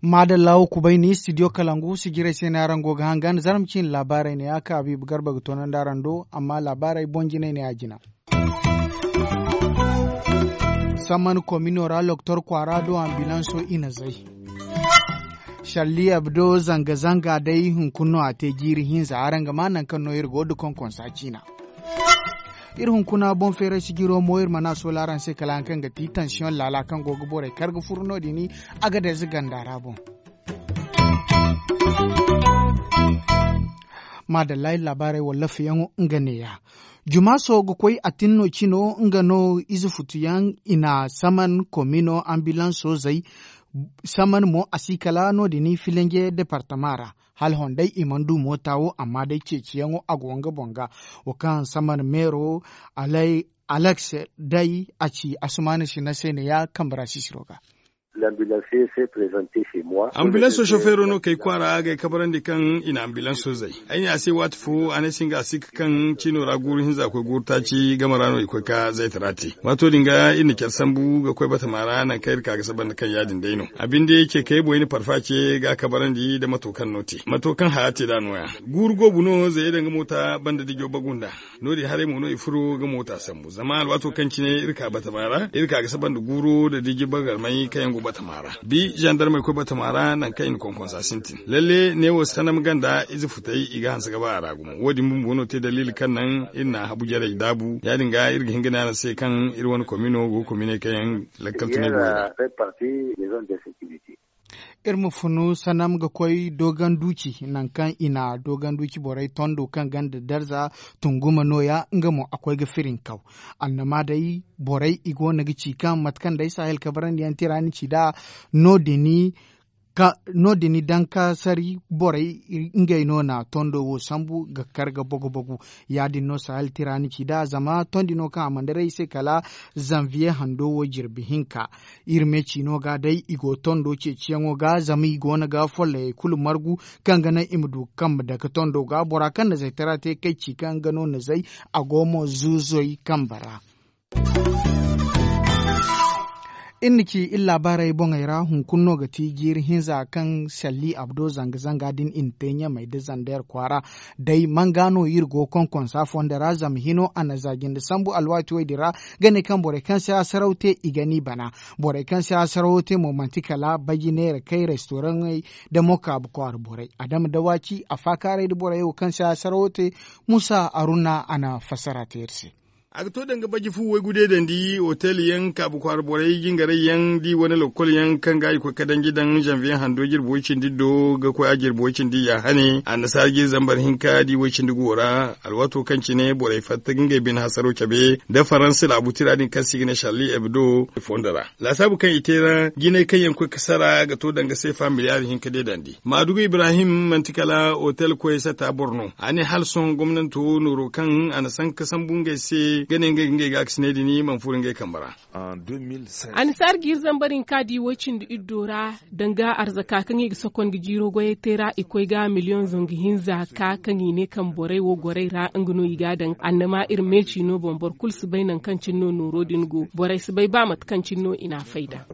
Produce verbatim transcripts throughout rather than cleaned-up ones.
Maadalla wo kubay ni studio kalangu sijirey se no araŋ go ga hangan zarma ciine laabaarey ne ya ka habiibu garba ga toonandi araŋ do amma laabaarey boŋ jinay ne ya jina. Samman komino ra loktor kwaara do ambilanso i na zay. Shalli abdo zanga zanga day hunkuna no a te jiiri hinza araŋ ga ma nangu kaŋ no iri go ga konkonsa ciina. Iri hunkuna boŋ feeray sijiro mo iri mana a soola araŋ se kala hari kaŋ ga ti tansiyoŋ laala kaŋ go ga borey kar ga furo no- din. Agadez ganda ra boŋ. Maadalla iri laabaarey wallaafiyaŋo nga neeya. Jumaaso ga koy a tin no cino nga no ize futuyaŋ i na saman komino ambilanso zay. Saman mo a si kala no- din filinje departama ra. Hala honday i mana du moota wo amma day ceeciyaŋo a go nga boŋ ga. Wo kaŋ saman meero alay aleks day a ci asumaana sina se ne ya kambe ra sisiro ga. Ambilanso sofeero no kay kwaara ga ay kabarandi kaŋ i na ambilanso zay. Ay ne a se waati fo a ne ay se nga a si ga kaŋ ciino ra guuru hinza koy guuru taaci game ra no i koy ka zaytara te. Waato din ga iri na care sambu ga koy batama ra nangu kaŋ iri ka ga saba nda kaŋ ya- din day no a binde ce kay boy na parfa ce ga a kabarandi nda mato kaŋ no te mato kaŋ haya te nd'a no- ya. Guuru goobu no zayey daŋ ga moota banda dijo bagu nd'a. No- din haray mo no i furo ga moota sambu zama alwaato kaŋ cine iri ka batama ra iri ka ga saba nda guuro nda diji bagarmay kaŋ yaŋ go batama ra. Bi zandarmey koy batama ra nangu kaŋ i na konkonsa sintin lalle neewo sanam ganda ize futey i ga hanse ga ba a ra gumo wo- din bumbo no te daliili kaŋ naŋ iri na habu jarey daabu ya- din ga iri ga hin ga ne araŋ se kaŋ iri wane komino go ga kominey kaŋ yaŋ lakkal tunay borey ra. Iri ma funu sanam ga koy doogan duuci nangu kaŋ i na doogan duuci borey tondo kaŋ gonda darza tunguma no- ya nga mo a koy ga firinkaw. Annama day borey i go no ga ci kaŋ mate kaŋ day sahel kabarandiyaŋ tira ni ci nd'a no- din daŋ ka sari borey ngey no na tondo wo sambu ga kar ga bogu bogu. Ya- din no sahel tira ni ci nd'a zama tondi no kaŋ a mana daray i se kala zanviye hando wo jirbi hinka. Iri me ciino ga day i go tondo ceeciyaŋo ga zama i go no ga follayey kulu margu kaŋ ga naŋ i ma du kambe dake tondo ga bora kaŋ na zaytara te kay ci kaŋ nga no na zay a go mo zuuzoy kambe ra. Iri na ci iri laabaarey boŋey ra hunkuna no ga ti jiiri hinza kaŋ salli abdo zanga zanga din i na te ɲamey nda zander kwaara. Day manga no iri go konkonsa fondo ra zama hino a na za jinde sambu alwaati wo- din ra ga ne kaŋ borey kaŋ se hasaraw te i ga ni bana. Borey kaŋ se hasarawo te mo manti kala baji neera kay restoraŋey nda mo kaabu kwaara borey adama dawaci a faakaaray nda borey wo kaŋ se hasarawo te. Musa aruna a na fassara te iri se. A ga to danga baji fu waygu deedandi otel yaŋ kaabu kwaara borey jingaray yaŋ da i wane lokol yaŋ kaŋ ga i koy ka danji daŋ zanviye hando jirbi way cindi do ga koy a jirbi way cindi ya hane annasaara jiiri zambar hinka da i way cindi go ra. Alwaato kaŋ cine borey fatta ga ngey bine hasaro cabe nda faransa laabu tira din kaŋ se i ga ne sharli hebdo fondo ra. Laasaabu kaŋ i te ra jinay kaŋ yaŋ koy ga sara ga to danga seefa miliyaari hinka deedandi maadugu ibrahim manti kala otel koy sata boro no a ne hala sohõ gomnanto nooro kaŋ a na sanka sambu ngey se ga ne ngey ga ngey gaakasinay din mana furo ngey kambe ra. Annasaara jiiri zambar hinka da i way cindi iddo ra danga arzaka kaŋ i ga sokon ga jiiro goyey te ra i koy ga miliyoŋ zangu hinza ka kaŋ i ne kaŋ borey wo gorey ra nga no i ga a daŋ annama iri meeci no boŋ boro kulu si bay nangu kaŋ cine no nooro din go borey si bay ba mate kaŋ cine no i n'a fay nd'a.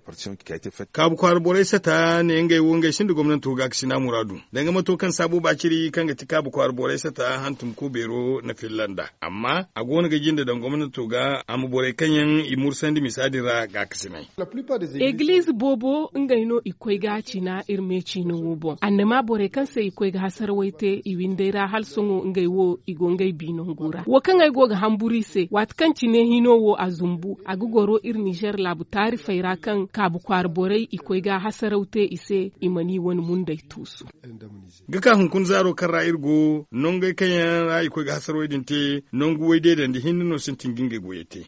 Kaabu kwaara borey sata ne ngey wo ngey sinda gomnanto gaakasina muraadu danga mato kaŋ saabo baaciri kaŋ ga ti kaabu kwaara borey sata hantum ko beero na filla nd'a amma a go no ga jinde daŋ gomnanto ga a ma borey kaŋ yaŋ i mursandi misa din ra gaakasinay. Egiliize boobo ngey no i koy ga a cina iri me ciina wo boŋ annama borey kaŋ se i koy ga hasarawey te i windey ra hala sohõ ngey wo i go ngey bi nangu ra wo kaŋ ay go ga hamburu i se waati kaŋ cine hino wo a zumbu a ga goro iri nizer laabu taarifey ra kaŋ kaabu kwaara borey i koy ga hasaraw te i se i mana i wane mundey tuusu. Ga ka hunkuna zaaro kaŋ ra iri go nongey kaŋ yaŋ ra i koy ga hasarawey din te nangu way deedandi hinne no sintin ga ngey goyey te.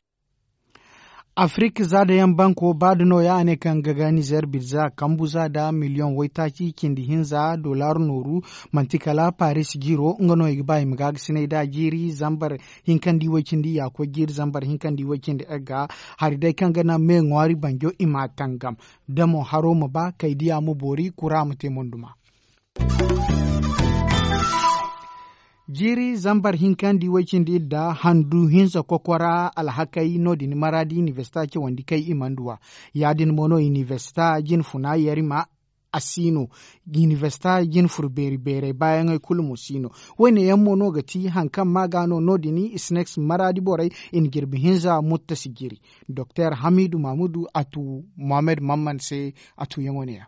Afirik za da yaŋ banko ba da nooya a ne kaŋ ga ga nizer birza kambu za da miliyoŋ waytaaci cindi hinza dollar nooru. Manti kala paris jiiro nga no i ga ba i ma gaagasinay da jiiri zambar hinka nda i way cindi yaakoy jiiri zambar hinka nda i way cindi egga. Hari day kaŋ ga naŋ me ŋwaari banjo i ma a tangam da mo haro ma ba kay diya ma boori kura ma te monduma. Jiiri zambar hinka nda i way cindi idda handu hinza kokora alhakey no- din maraadi inibersita cawandi kay i mana duw'a. Ya- din mo no inibersita jinfuna yarima a si no. Inibersita jinfur beeri beerey baayaŋey kulu mo si no. Wo- ne yaŋ mo no ga ti hari kaŋ ma ga no no- din isnex maraadi borey i na jirbi hinza muttasi jiiri. Doktor hamiidu mamudu a tu mohammed mamman se. A tuyaŋo ne- ya.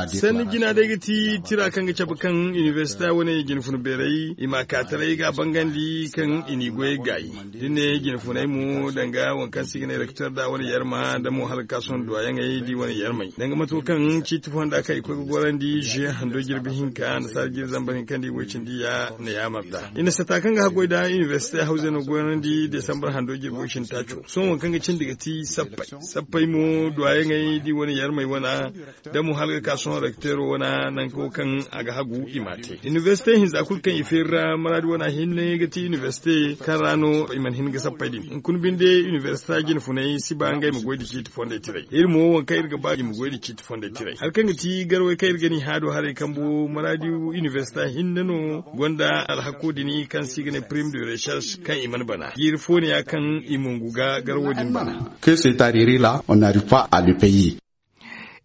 Sanni jina day ga ti tira kaŋ ga cabe kaŋ inibersita wane jinfuna beerey i ma a ka taray ga a bangandi kaŋ i n'i goyey gaayi. Da ni ne jinfunay mo danga waŋ kaŋ se i ga ne rektor da wane yarma da mo hala ga ka sohõ duwayaŋey da i wane yarmey danga mato kaŋ ciiti fonda kaŋ i koy ga gorandi ze hando jirbi hinka annasaara jiiri zambar hinka nda i goy cindi ya na yaamar da i na sata kaŋ ga haggoy da inibersite hawzey no gorandi desambar hando jirbo cindi taaco sohõ waŋ kaŋ ga cindi ga ti sappey sappey mo duwayaŋey da i wane yarmey wana da mo hala ga ka sohõ rekteero wana nango kaŋ a ga hagu i m'a te inibersite hinza kulu kaŋ i feeri ra maraadi wana hinne ga ti inibersite kaŋ ra no i mana hin ga sappey din hunkuna binde inibersita jinfuney si ba ngey ma goy da ciiti fondey tiray iri mo waŋ kaŋ iri ga ba i ma goy da ciiti fondey tiray hari kaŋ ga ti garawey kaŋ iri ga ni haado haray kambo maraadi inibersita hinne no gonda alhakko din kaŋ se i ga ne prime de recherche kaŋ i mana bana jiiri fo ne ya kaŋ i mungu ga garawo din bana. Ke se tariri la on n'arrive pas à le pays.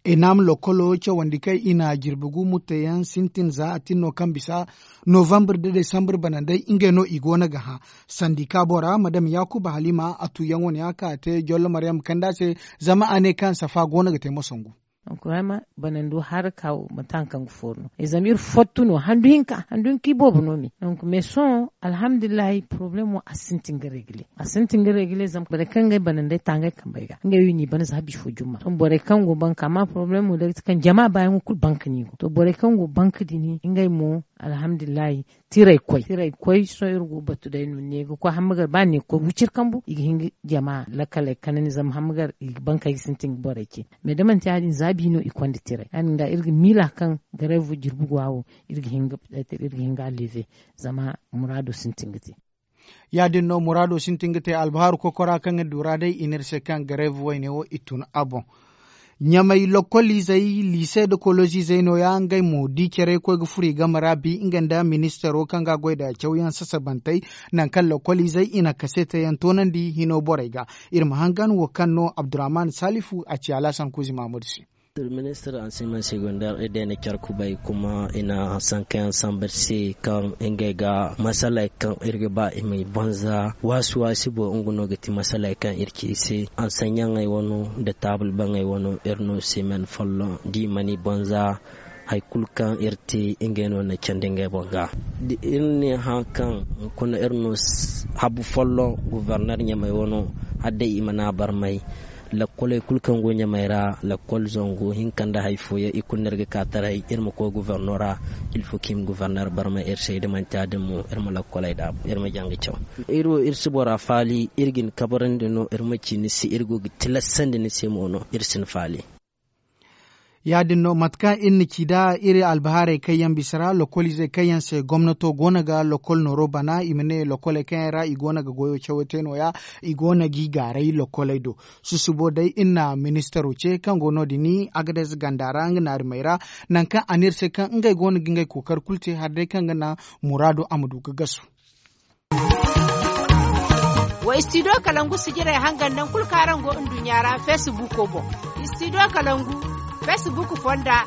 Enam lokolo cawandi kaŋ i na jirbi gu mutteyaŋ sintin za a tin no kaŋ bisa novambre da desambre banandey ngey no i go no ga hã. Sandika bora madam yakuba halima a tuyaŋo ne a ka te jollo maryam kanda se. Zama a ne kaŋ safa go no ga te mosangu. Banando haraka wo manti hari kaŋ ga fooru no zama iri fottu no handu hinka handu hinka iboobo no me. Donk mais sohõ alhamdulillahi problemo a sintin ga regile a sintin ga regile zama borey kaŋ ga ay banandey ta ngey kambey ga ngey wo i n'i bana za bifo jumma sohõ borey kaŋ go banka amma problemo day ga ti kaŋ jama baayaŋo kulu banka no i go to borey kaŋ go banka din ngey mo alhamdulillahi. Tiray koy tiray koy sohõ iri go batu day no ne ga koy hammagar ba ne ga koy wicir kambu i ga hin ga jama lakaley kanandi zama hammagar i ga bankey ga sintin ga borey ce. Mais da manti ya- din za bi no i konda tiray ya- din ga iri ga miila kaŋ gareevo jirbi go a wo iri ga hin ga a leeve. Zama muraado sintin ga te. Ya- din no muraado sintin ga te albahaaru kokora kaŋ iri du ra day i ne iri se kaŋ gareevo wayne wo i tun a boŋ. Ɲamay lokkoliizey liise nda koloziizey no- ya ngey mo di care koy ga furo i game ra bi nga nda ministaro kaŋ ga a goy nda cawyaŋ sasabantey. Nangu kaŋ lokkoliizey i na kaseete yaŋ toonandi hino borey ga. Iri ma hangan wo kaŋ no abdurrahman salifu a ci alhasan kuuzi mahammadu se. Ministir ansiman segondar i day na care kubay kuma i na sankayaŋ samba iri se kaŋ ngey ga masaley kaŋ iri ga ba i ma i banza waasi waasi boŋ nga no ga ti masaley kaŋ iri ci i se. Ansanyaŋey wano nda taabul baŋey wano iri no semen folloŋ da i mana i banza. Hari kulu kaŋ iri te ngey no na candi ngey boŋ ga. Da iri ne hã kaŋ hunkuna iri no habu folloŋ guverner ɲamey wano hala day i mana a barmay. Lakkoley kulu kaŋ go ɲamey ra lakkol zangu hinka nda hari fooyaŋ i kulu no iri ga ka taray iri ma koy guverno ra. Ilfo kaŋ i ma guverner barmay iri se da manti ya- din mo iri ma lakkoley daabu iri ma jaŋ ga caw. Iri wo iri si bora faali iri ga ni kabarandi no iri ma ci ni se iri go ga tilasandi ni se mo no iri si ni faali. Ya- din no mate kaŋ iri na ci nd'a iri albahaarey kaŋ yaŋ bisa ra lokkoliizey kaŋ yaŋ se gomnato go no ga lokkol nooro bana i ma ne lokkoley kaŋ yaŋ ra i go no ga goyo cawo te no- ya. I go no g'i gaaray lokkoley do. Susubo day iri na ministaro ce kaŋ go no- din agades ganda ra nga naarimey ra. Nangu kaŋ a ne iri se kaŋ ngey go no ga ngey kookari kulu te hari day kaŋ ga naŋ muraado a ma du ga gasu. Wa istidiyo kalangu sijirey hangan nangu kulu kaŋ araŋ go nduɲɲa ra feesibuuko boŋ. Istidiyo kalangu feesibuuko fonda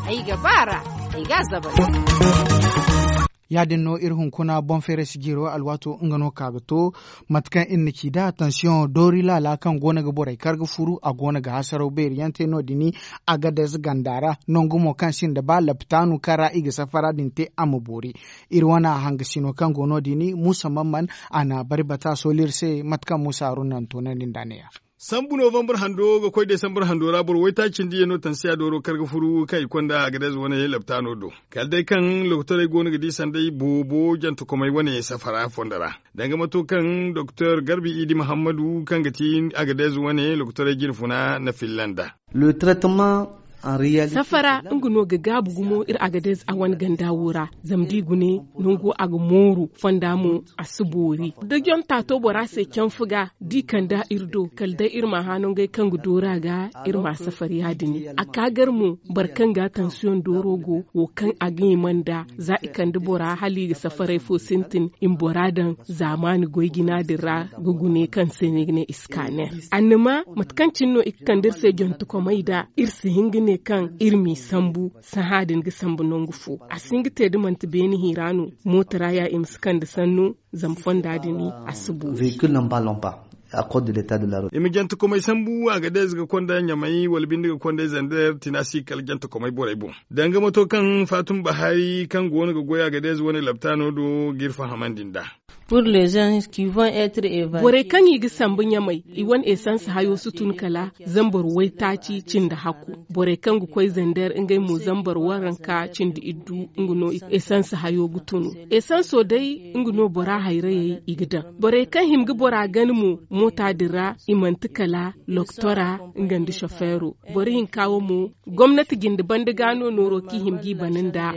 ay ga ba a ra. Ay ga a zabari. Ya- din no iri hunkuna boŋ feeray sijiro alwaato nga no ka ga to. Mate kaŋ iri na ci nd'a tansiyoŋo doori laala kaŋ go no ga borey kar ga furu a go no ga hasaraw beeri yaŋ te no- din. Agades ganda ra nangu mo kaŋ sinda ba lapitaanu kaŋ ra i ga safara din te a ma boori. Iri wane hangasino kaŋ go no- din muusa mamman a na bari bata sooli iri se mate kaŋ muusa haruna na toonandi nd'a ne- ya. Sambu novambar hando ga koy desambar hando ra boro waytaaci cindi yaŋ no tansiya dooro kar ga furu kaŋ i konda agades wane lapitaano do. Kala day kaŋ lokotorey go no ga di sanday boobo jantakomey wane safara fondo ra. Danga mato kaŋ doktor garbi idi muhammadu kaŋ ga ti agades wane lokotorey jinfuna na filla nd'a. Le traitement Safara nga no ga gaabu gumo iri agadez a wane ganda wo ra. Zama da i gune nango a ga mooru fonda mo a si boori da jonta to bora se canfu ga da i kande a iri do kala day iri ma hã nangey kaŋ ga doora ga iri ma safari ya- din a ka gar mo. Boro kaŋ ga tansiyoŋ dooro go wo kaŋ a ga hima nd'a za i kande bora hala i ga safaray fo sintin i ma bora daŋ zaamaani goy jina din ra ga gune kaŋ se no i ga ne iskaner. Annama mate kaŋ cine no i ga kande iri se jontokomey nd'a iri si hin ga ne kaŋ iri m'i sambu. Sahã din ga sambu nangu fo a si hin ga te da manti beene hira no. Mooto ra ya i ma si kande sannu. Zama fonda din a si boori. I ma jantakomey sambu a ga day ize ga konda ɲamay wala binde ga konda ize nda tina si kala jantakomey borey boŋ. Danga mato kaŋ faatuma bahari kaŋ go no ga goy a ga day ize wane laptaano do g'iri fahamandi nd'a. Borey kaŋ i ga sambu ɲamay i wane esans hayo si tun kala zambar waytaaci cindi hakku. Borey kaŋ ga koy zander ngey mo zambar waranka cindi iddu nga no esans hayo ga tunu. Esanso day nga no bora hayrayey i ga daŋ. Borey kaŋ hima ga bora gana mo moota din ra i manti kala loktora nga nda sofeero. Boro hinka wo mo gomnati jinde banda ga no nooro kaŋ i hima g'i bana nd'a.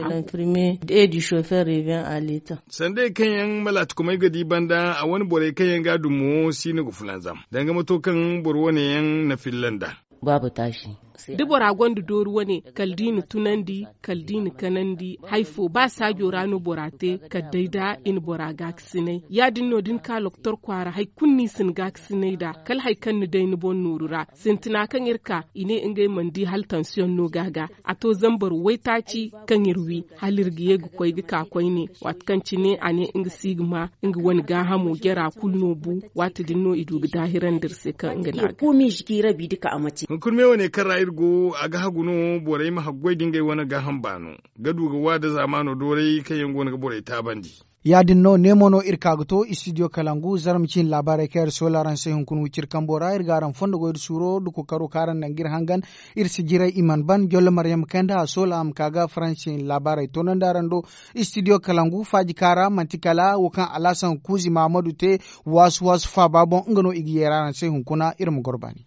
Sandey kaŋ yaŋ malaatikomey ga di banda a wane borey kaŋ yaŋ ga a dumo si no ga fulanzam danga mato kaŋ boro wane yaŋ na filla nd'a. Da bora gonda doori wane kala da i na tunandi kala da i na kanandi hari fo ba saajo ra no bora te kala day da i na bora gaakasinay ya- din no da ni ka loktor kwaara hari kulu no i si ni gaakasinay nd'a kala hari kaŋ ni day ni boŋ nooru ra. Sintina kaŋ iri ka i ne ngey mana di hala tansiyoŋ no ga a ga a to zambar waytaaci kaŋ iri wi hala iri ga ye ga koy ga ka koyne. Waati kaŋ cine a ne nga si ga ma nga wane gaahamo jara kulu no bu. Waati din no i du ga daahirandi iri se kaŋ nga no a ga. Hunkuna me wane kaŋ ra iri go a ga hagu no borey ma haggoy da ngey wane gaaham baano ga du ga wa da zaamaano dooray kaŋ yaŋ go no ga borey taabandi. Ya- din no neemo no iri ka ga to istidiyo kalangu zarma ciine laabaarey kaŋ iri soola araŋ se hunkuna wiciri kambo ra iri ga araŋ fondo goy da suuro da kookaro kaŋ araŋ naŋ ga iri hangan. Iri si jiray i mana ban jolle maryam kayndi a soola a ma ka ga faransi ciine laabaarey toonandi araŋ do. Istidiyo kalangu faaji kaŋ ra manti kala wo kaŋ alaasan kuuzi mahamadu te. Waasu waasu faaba boŋ nga no i ga yeera araŋ se hunkuna iri ma goro baani.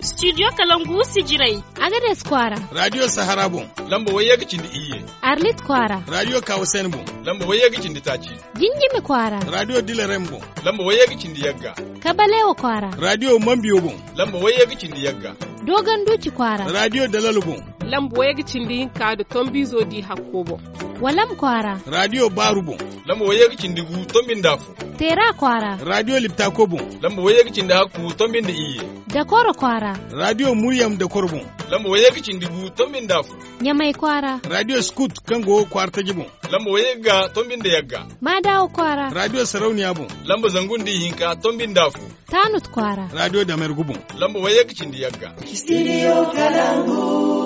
Studio kalangu sijiray. Agades kwaara. Radio sahara boŋ. Lamba wayye ga cindi iyye. Arlit kwaara. Radio kawasen boŋ. Lamba wayye ga cindi taaci. Jinjimi kwaara. Radio dilarem boŋ. Lamba wayye ga cindi yagga. Kabalewa kwaara. Radio mambiyo boŋ. Lamba wayye ga cindi yagga. Dogon duci kwaara. Radio dalalo boŋ. Lamba wayye ga cindi hinka da tombizo di hakko boŋ. Walam kwaara. Radio baaru boŋ. Lamba wayye ga cindi gu tombinda fo. Teera kwaara. Radio liptako boŋ. Lamba wayye ga cindi hakku tombinda iyye. Dakoro kwaara. Radio muryam dakoro boŋ. Lamba wayye ga cindi gu tombinda fo. Ɲamay kwaara. Radio skut kaŋ go kwaara taji boŋ. Lamba wayye ga tombinda yagga. Maadawo kwaara. Radio sarauniya boŋ. Lamba zangu nda ihinka tombinda fo. Taanut kwaara. Radio damergu boŋ. Lamba wayye ga cindi yagga. Studio kalangu.